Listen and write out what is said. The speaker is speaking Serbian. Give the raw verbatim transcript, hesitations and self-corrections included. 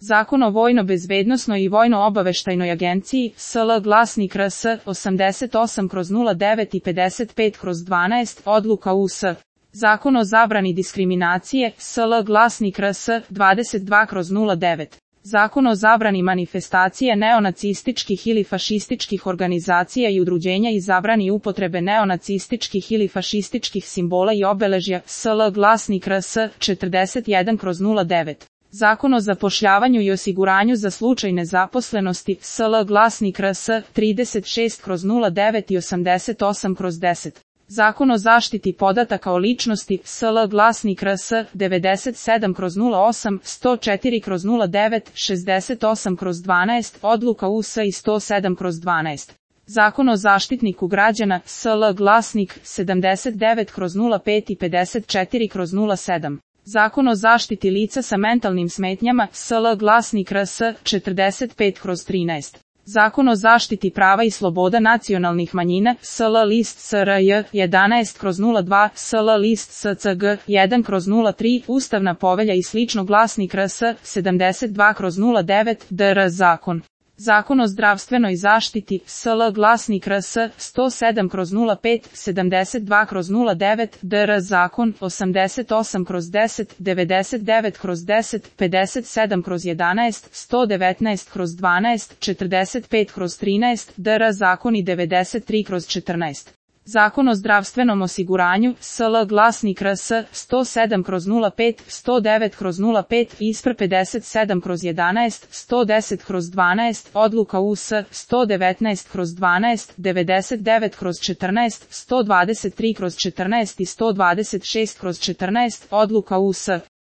Zakon o vojno-bezbednosnoj i vojno-obaveštajnoj agenciji, S L glasnik R S osamdeset osam kroz nula devet i pedeset pet kroz dvanaest, odluka U S. Zakon o zabrani diskriminacije, S L glasnik R S dvadeset dva kroz nula devet. Zakon o zabrani manifestacije neonacističkih ili fašističkih organizacija i udruženja i zabrani upotrebe neonacističkih ili fašističkih simbola i obeležja, S L glasnik R S četrdeset jedan kroz nula devet. Zakon o zapošljavanju i osiguranju za slučaj nezaposlenosti, S L glasnik R S trideset šest kroz nula devet i osamdeset osam kroz deset. Zakon o zaštiti podataka o ličnosti, S L glasnik R S devedeset sedam kroz nula osam, sto četiri kroz nula devet, šezdeset osam kroz dvanaest, odluka U S i sto sedam kroz dvanaest. Zakon o zaštitniku građana, S L glasnik sedamdeset devet kroz nula pet i pedeset četiri kroz nula sedam. Zakon o zaštiti lica sa mentalnim smetnjama, S L glasnik R S četrdeset pet kroz trinaest. Zakon o zaštiti prava i sloboda nacionalnih manjina, S L list S R J jedanaest kroz nula dva, S L list S C G jedan kroz nula tri, Ustavna povelja i slično glasnik R S sedamdeset dva kroz nula devet, D R zakon. Zakon o zdravstvenoj zaštiti, S L glasnik R S sto sedam kroz nula pet, sedamdeset dva kroz nula devet, D R zakon, osamdeset osam kroz deset, devedeset devet kroz deset, pedeset sedam kroz jedanaest, sto devetnaest kroz dvanaest, četrdeset pet kroz trinaest, D R zakon i devedeset tri kroz četrnaest. Zakon o zdravstvenom osiguranju, S L glasnik R S sto sedam kroz nula pet, sto devet kroz nula pet, I S P R pedeset sedam kroz jedanaest, sto deset kroz dvanaest, odluka U S sto devetnaest kroz dvanaest, devedeset devet kroz četrnaest, sto dvadeset tri kroz četrnaest i sto dvadeset šest kroz četrnaest, odluka U S.